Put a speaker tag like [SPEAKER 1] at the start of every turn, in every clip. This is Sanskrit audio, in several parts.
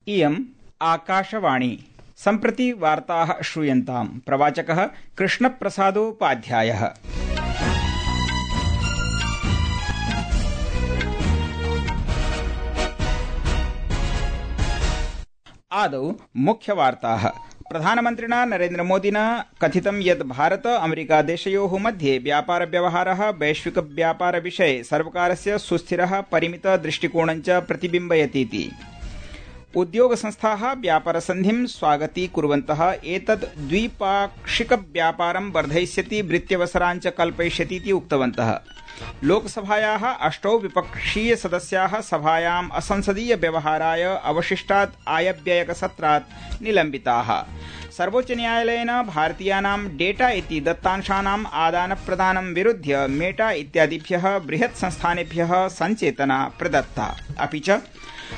[SPEAKER 1] इयम् आकाशवाणी। सम्प्रति वार्ताः श्रूयन्ताम्। प्रवाचकः कृष्णप्रसादोपाध्यायः। आदौ मुख्यवार्ताः। प्रधानमन्त्रिणा नरेन्द्रमोदिना कथितं यत् भारत अमेरिका देशयोः मध्ये व्यापार व्यवहारः वैश्विक व्यापार विषये सर्वकारस्य सुस्थिरः परिमित दृष्टिकोणञ्च प्रतिबिम्बयतीति। उद्योग संस्थाः व्यापारसन्धिं स्वागतीकुर्वन्तः एतत् द्विपाक्षिक व्यापारं वर्धयिष्यति वृत्यवसराञ्च कल्पयिष्यतीति उक्तवन्तः। लोकसभायाः 8 विपक्षीय सदस्याः सभायाम् असंसदीय व्यवहाराय अवशिष्टात् आयव्ययकसत्रात् निलम्बिताः। सर्वोच्च न्यायालयेन भारतीयानां डेटा इति दत्तांशानाम् आदानप्रदानं विरुध्य मेटा इत्यादिभ्यः बृहत् संस्थानेभ्यः सञ्चेतना प्रदत्ता। अपि च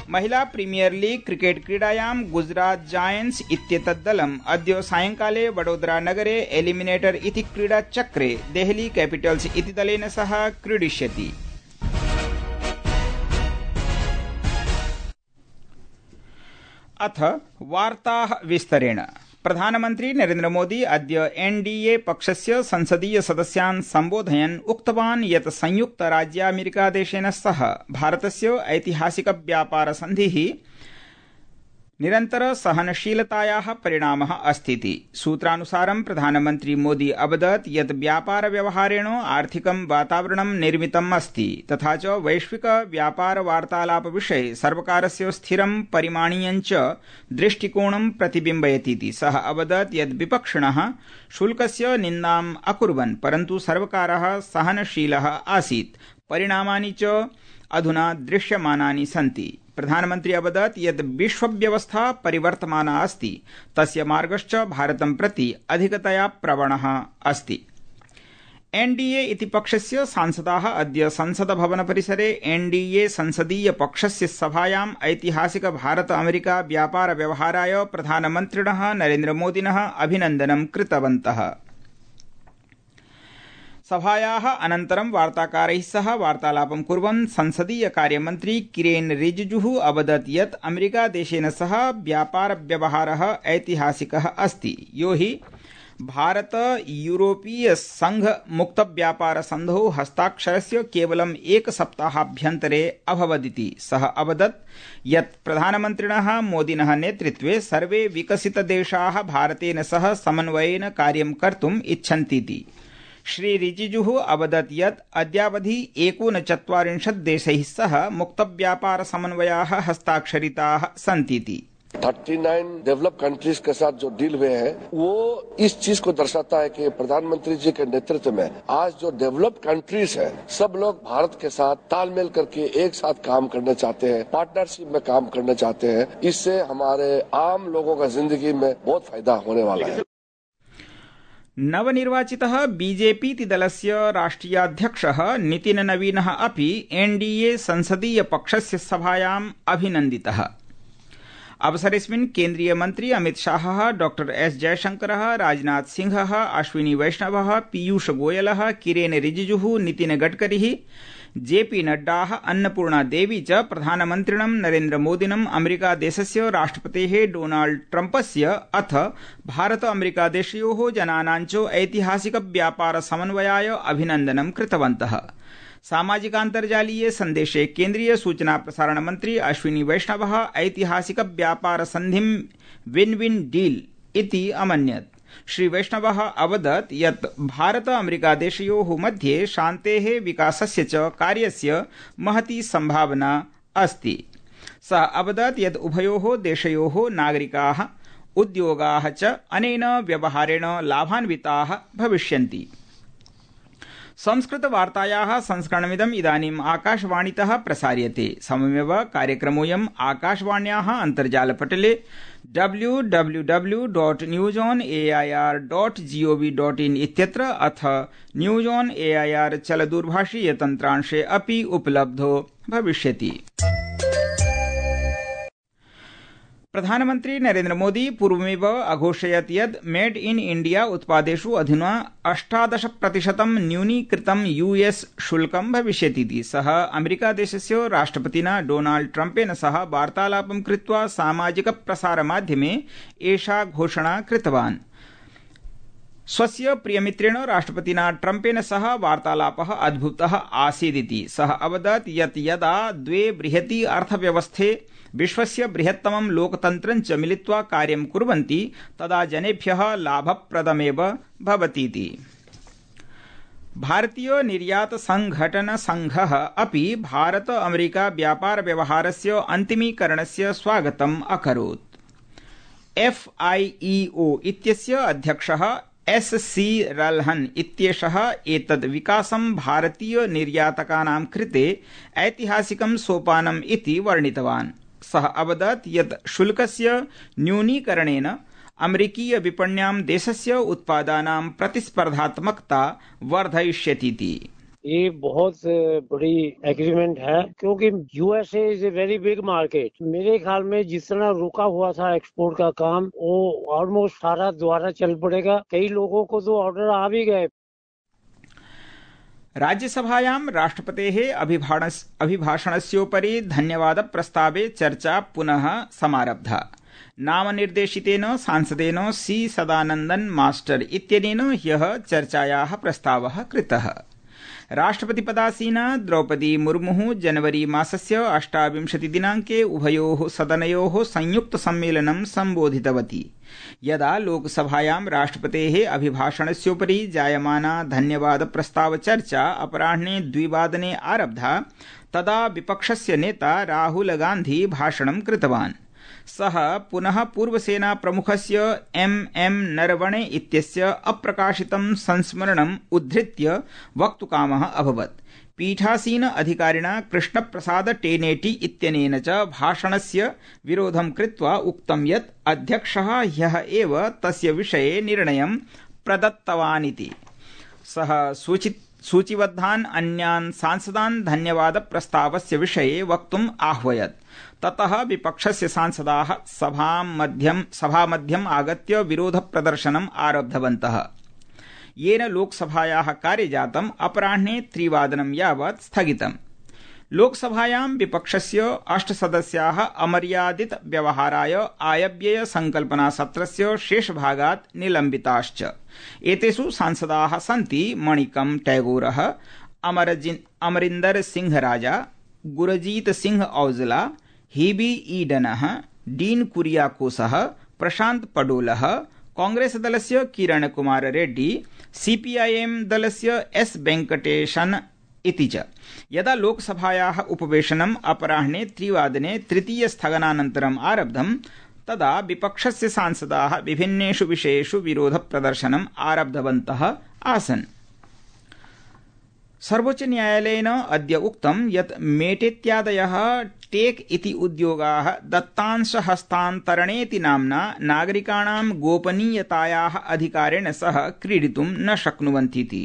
[SPEAKER 1] महिला प्रीमियर लीग क्रिकेट क्रीडायां गुजरात जायंट्स इत्येतत् दलम् अद्य सायंकाले वडोदरा नगरे एलिमिनेटर इति क्रीडाचक्रे देहली कैपिटल्स इति दलेन सह क्रीडिष्यति। अथ वार्ताः विस्तरेण। प्रधानमन्त्री नरेन्द्रमोदी अद्य एनडीए पक्षस्य संसदीय सदस्यान् सम्बोधयन् उक्तवान् यत् संयुक्तराज्यामेरिकादेशेन सह भारतस्य ऐतिहासिक व्यापार सन्धिः निरन्तर सहनशीलतायाः परिणामः अस्तीति। सूत्रानुसारं प्रधानमन्त्री मोदी अवदत् यत् व्यापार व्यवहारेण आर्थिकं वातावरणं निर्मितम् अस्ति तथा च वैश्विक व्यापार वार्तालाप विषये सर्वकारस्य स्थिरं परिमाणीयञ्च दृष्टिकोणं प्रतिबिम्बयतीति। सः अवदत् यत् विपक्षिणः शुल्कस्य निन्दाम् अकुर्वन् परन्तु सर्वकारः सहनशीलः आसीत्। परिणामानि च अधुना दृश्यमानानि सन्ति। प्रधानमन्त्री अवदत् यत् विश्वव्यवस्था परिवर्तमाना अस्ति तस्य मार्गश्च भारतं प्रति अधिकतया प्रवणः अस्ति। एनडीए इति पक्षस्य सांसदाः अद्य संसदभवन परिसरे एनडीए संसदीय पक्षस्य सभायाम् ऐतिहासिक भारत अमेरिका व्यापार व्यवहाराय प्रधानमन्त्रिणः नरेन्द्रमोदिनः अभिनन्दनं कृतवन्तः। सभायाः अनन्तरं वार्ताकारैः सह वार्तालापं कुर्वन् संसदीय कार्यमन्त्री किरेन रिजिजुः अवदत् यत् अमेरिकादेशेन सह व्यापार व्यवहारः ऐतिहासिकः अस्ति, यो हि भारत यूरोपीय संघ मुक्त व्यापार सन्धौ हस्ताक्षरस्य केवलम् एकसप्ताहाभ्यन्तरे अभवदिति। सः अवदत् यत् प्रधानमन्त्रिणः मोदिनः नेतृत्वे सर्वे विकसितदेशाः भारतेन सह समन्वयेन कार्यं कर्तुम् इच्छन्तीति। श्री रिजिजुः अवदत् यत् अद्यावधि 49 देशैः सह मुक्तव्यापार समन्वयाः हस्ताक्षरिताः सन्तीति।
[SPEAKER 2] 39 डेवलप कंट्रीज के साथ जो डील हुए हैं वो इस चीज को दर्शाता है कि प्रधानमंत्री जी के नेतृत्व में आज जो डेवलप कंट्रीज है सब लोग भारत के साथ तालमेल करके एक साथ काम करना चाहते हैं, पार्टनरशिप में काम करना चाहते हैं। इससे हमारे आम लोगों का जिंदगी में बहुत फायदा होने वाला है।
[SPEAKER 1] नवनिर्वाचितः बीजेपी दलस्य राष्ट्रियाध्यक्षः नितिन नवीनः अपि एनडीए संसदीय पक्षस्य सभायाम् अभिनन्दितः। अवसरेऽस्मिन् केन्द्रीय मन्त्री अमित शाहः, डॉक्टर एस जयशंकरः, राजनाथ सिंहः, अश्विनी वैष्णवः, पीयूष गोयलः, किरेन रिजिजुः, नितिन गडकरी, जेपी नड्डाः, अन्नपूर्णा देवी च प्रधानमन्त्रिणं नरेन्द्रमोदिनम् अमेरिकादेशस्य राष्ट्रपतेः डोनाल्ड ट्रम्पस्य अथ भारत अमेरिकादेशयोः जनानाञ्च ऐतिहासिक व्यापार समन्वयाय अभिनन्दनं कृतवन्तः। सामाजिकान्तर्जालीय सन्देशे केन्द्रीय सूचना प्रसारण मन्त्री अश्विनी वैष्णवः ऐतिहासिक व्यापार सन्धिं विन विन डील इति अमन्यत्। श्री वैष्णवः अवदत् यत् भारत अमेरिकादेशयोः मध्ये शान्तेः विकासस्य च कार्यस्य महती सम्भावना अस्ति। सः अवदत् यत् उभयोः देशयोः नागरिकाः उद्योगाः च अनेन व्यवहारेण लाभान्विताः भविष्यन्ति। संस्कृतवार्तायाः संस्करणमिदम् इदानीम् आकाशवाणीतः प्रसार्यते। सममेव कार्यक्रमोऽयम् आकाशवाण्याः अन्तर्जालपटले www.newsonair.gov.in इत्यत्र अथ न्यूज ऑन एआईआर चलदूरभाषीय तन्त्रांशे अपि उपलब्धो भविष्यति। प्रधानमन्त्री नरेन्द्र मोदी पूर्वमेव अघोषयत् यत् मेड इन इंडिया उत्पादेषु अधुना 18% न्यूनीकृतं यूएस शुल्कं भविष्यतीति। सः अमेरिकादेशस्य राष्ट्रपतिना डोनाल्ड ट्रम्पेन सह वार्तालापं कृत्वा सामाजिक प्रसारमाध्यमे एषा घोषणा कृतवान्। स्वस्य प्रियमित्रेण राष्ट्रपतिना ट्रम्पेन सह वार्तालापः अद्भुतः आसीदिति सः अवदत् यत् यदा द्वे बृहती अर्थव्यवस्थे विश्वस्य बृहत्तमं लोकतन्त्रं च मिलित्वा कार्यं कुर्वन्ति तदा जनेभ्यः लाभप्रदमेव भवतीति। भारतीय निर्यात संघटन संघः अपि भारत अमेरिका व्यापार व्यवहारस्य अन्तिमीकरणस्य स्वागतम् अकरोत्। FIEO इत्यस्य अध्यक्षः SC रल्हन् इत्येषः एतद् विकासं भारतीय निर्यातकानां कृते ऐतिहासिकं सोपानम् इति वर्णितवान्। सः अवदत् यत् शुल्कस्य न्यूनीकरणेन अमेरिकीय विपण्यां देशस्य उत्पादानां प्रतिस्पर्धात्मकता वर्धयिष्यतीति।
[SPEAKER 3] ये बहुत बड़ी एग्रीमेंट है क्योंकि USA is a very big market. मेरे ख्याल में जिस तरह रुका हुआ था एक्सपोर्ट का काम वो ऑलमोस्ट सारा द्वारा चल पड़ेगा। कई लोगों को तो ऑर्डर आ भी गए।
[SPEAKER 1] राज्यसभायां राष्ट्रपतेः अभिभाषणस्योपरि धन्यवाद प्रस्तावे चर्चा पुनः समारब्धा। नामनिर्देशितेन सांसदेन C सदानन्दन मास्टर इत्यनेन ह्यः चर्चायाः प्रस्तावः कृतः। राष्ट्रपतिपदासीना द्रौपदी मुर्मुः जनवरी मासस्य 28 दिनाङ्के उभयोः सदनयोः संयुक्त सम्मेलनं सम्बोधितवती। यदा लोकसभायां राष्ट्रपतेः अभिभाषणस्योपरि जायमाना धन्यवाद प्रस्ताव चर्चा अपराह्ने 2 वादने आरब्धा तदा विपक्षस्य नेता राहुल गान्धी भाषणं कृतवान्। सः पुनः पूर्वसेना प्रमुखस्य MM नरवणे इत्यस्य अप्रकाशितं संस्मरणम् उद्धृत्य वक्तुकामः अभवत्। पीठासीन अधिकारिणा कृष्णप्रसाद टेनेटी इत्यनेन च भाषणस्य विरोधं कृत्वा उक्तं यत् अध्यक्षः ह्यः एव तस्य विषये निर्णयं प्रदत्तवानिति। सः सूचिबद्धान् अन्यान् सांसदान् धन्यवाद प्रस्तावस्य विषये वक्तुम् आह्वयत्। ततः विपक्षस्य सांसदाः सभामध्यम् आगत्य विरोधप्रदर्शनम् आरब्धवन्तः, येन लोकसभायाः कार्यजातम् अपराह्ने 3 वादनं यावत् स्थगितम्। लोकसभायां विपक्षस्य 8 सदस्याः अमर्यादित व्यवहाराय आयव्यय संकल्पना सत्रस्य शेषभागात् निलम्बिताश्च। एतेषु सांसदाः सन्ति मणिकम टैगोरः, अमरिन्दर सिंह राजा, गुरजीत सिंह औजला, हेबी ईडनः, डीन कुरियाकोसः, प्रशांत पडोलः, कांग्रेस दलस्य किरण कुमार रेड्डी, CPIM दलस्य S वेंकटेशन् इति च। यदा लोकसभायाः उपवेशनम् अपराह्ने 3 वादने तृतीय स्थगनानन्तरम् आरब्धम् तदा विपक्षस्य सांसदाः विभिन्नेषु विषयेषु विरोधप्रदर्शनम् आरब्धवन्तः आसन्। सर्वोच्च न्यायालयेन अद्य उक्तं यत् मेटेत्यादयः टेक इति उद्योगाः दत्तांशहस्तान्तरणेति नाम्ना नागरिकाणां गोपनीयतायाः अधिकारेण सह क्रीडितुं न शक्नुवन्तीति।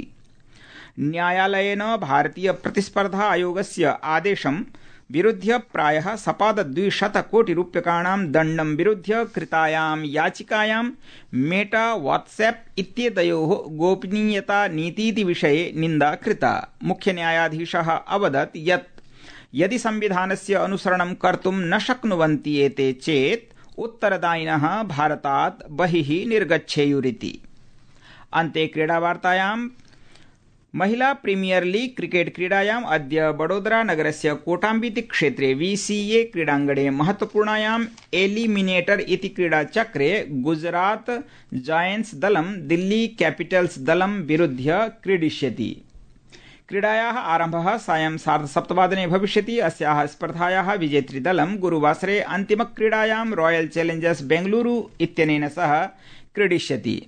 [SPEAKER 1] न्यायालयेन भारतीय प्रतिस्पर्धा आयोगस्य आदेशं विरुध्य प्रायः 200 कोटिरूप्यकाणां दण्डं विरुध्य कृतायां याचिकायां मेटा व्हाट्सएप इत्येतयोः गोपनीयता नीतीति विषये निन्दा कृता। मुख्यन्यायाधीशः अवदत् यत् यदि संविधानस्य अनुसरणं कर्तुं न शक्नुवन्ति एते चेत् उत्तरदायिनः भारतात् बहिः निर्गच्छेयुरिति। अन्ते क्रीडावार्तायां महिला प्रीमियर लीग क्रिकेट क्रीडायाम् अद्य वडोदरा नगरस्य कोटाम्बिति क्षेत्रे VCA क्रीडाङ्गणे महत्वपूर्णायाम् एलिमिनेटर इति क्रीडाचक्रे गुजरात जायंट्स दलं दिल्ली कैपिटल्स दलं विरुध्य क्रीडिष्यति। क्रीडायाः आरम्भः सायं 7:30 भविष्यति। अस्याः स्पर्धायाः विजेतृदलं गुरुवासरे अन्तिमक्रीडायां रॉयल चैलेंजर्स बेंगलुरु इत्यनेन सह क्रीडिष्यति।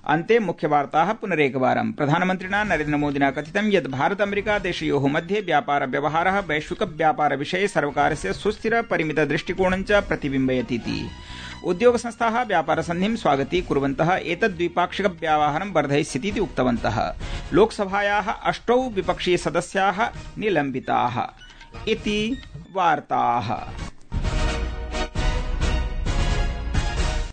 [SPEAKER 1] अन्ते मुख्यवार्ताः पुनरेकवारं। प्रधानमन्त्रिणा नरेन्द्रमोदिना कथितं यत् भारत अमेरिका देशयोः मध्ये व्यापार व्यवहारः वैश्विक व्यापार विषये सर्वकारस्य सुस्थिर परिमित दृष्टिकोणं च प्रतिबिम्बयतीति। उद्योग संस्थाः व्यापार सन्धिं स्वागतीकुर्वन्तः एतद् द्विपाक्षिक व्यवहारं वर्धयिष्यतीति उक्तवन्तः। लोकसभायाः 8 विपक्षीय सदस्याः निलम्बिताः इति वार्ताः।